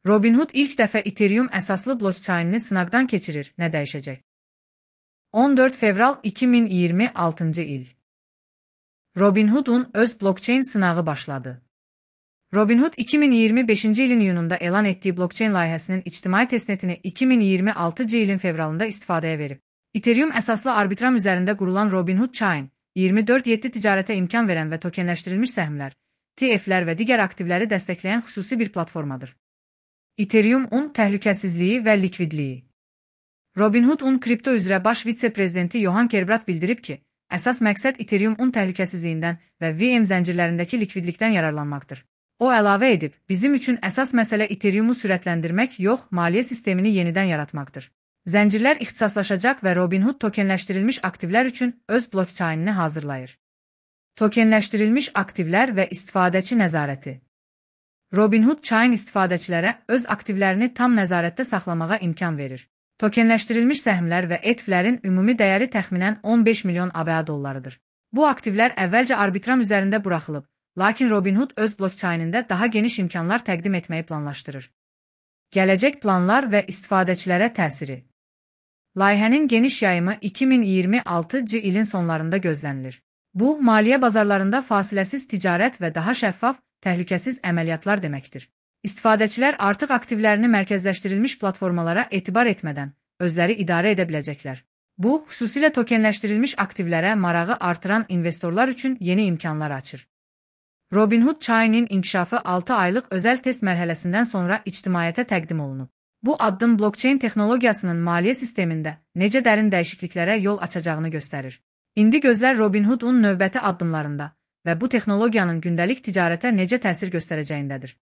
Robinhood ilk dəfə Ethereum əsaslı blockchainini sınaqdan keçirir. Nə dəyişəcək? 14 fevral 2026 il. Robinhood'un öz blockchain sınağı başladı. Robinhood 2025 ilin iyununda elan etdiyi blockchain layihəsinin ictimai testnetini 2026 ilin fevralında istifadəyə verib. Ethereum əsaslı arbitram üzərində qurulan Robinhood Chain, 24/7 ticarətə imkan verən və tokenləşdirilmiş səhmlər, TF-lər və digər aktivləri dəstəkləyən xüsusi bir platformadır. Ethereum-un təhlükəsizliyi və likvidliyi. Robinhood-un kripto üzrə baş vitse-prezidenti Johan Kerbrat bildirib ki, əsas məqsəd Ethereum-un təhlükəsizliyindən və VM zəncirlərindəki likvidlikdən yararlanmaqdır. O əlavə edib, bizim üçün əsas məsələ Ethereum-u sürətləndirmək yox, maliyyə sistemini yenidən yaratmaqdır. Zəncirlər ixtisaslaşacaq və Robinhood tokenləşdirilmiş aktivlər üçün öz blockchainini hazırlayır. Tokenləşdirilmiş aktivlər və istifadəçi nəzarəti. Robinhood Chain istifadəçilərə öz aktivlərini tam nəzarətdə saxlamağa imkan verir. Tokenləşdirilmiş səhmlər və ETF-lərin ümumi dəyəri təxminən 15 milyon ABA dollarıdır. Bu aktivlər əvvəlcə arbitram üzərində buraxılıb, lakin Robinhood öz blockchainində daha geniş imkanlar təqdim etməyi planlaşdırır. Gələcək planlar və istifadəçilərə təsiri. Layihənin geniş yayımı 2026 ilin sonlarında gözlənilir. Bu, maliyyə bazarlarında fasiləsiz ticarət və daha şəffaf, təhlükəsiz əməliyyatlar deməkdir. İstifadəçilər artıq aktivlərini mərkəzləşdirilmiş platformalara etibar etmədən özləri idarə edə biləcəklər. Bu, xüsusilə tokenləşdirilmiş aktivlərə marağı artıran investorlar üçün yeni imkanlar açır. Robinhood Chain'in inkişafı 6 aylıq özəl test mərhələsindən sonra ictimaiyyətə təqdim olunub. Bu addım blockchain texnologiyasının maliyyə sistemində necə dərin dəyişikliklərə yol açacağını göstərir. İndi gözlər Robinhood'un növbəti addımlarında və bu texnologiyanın gündəlik ticarətə necə təsir göstərəcəyindədir.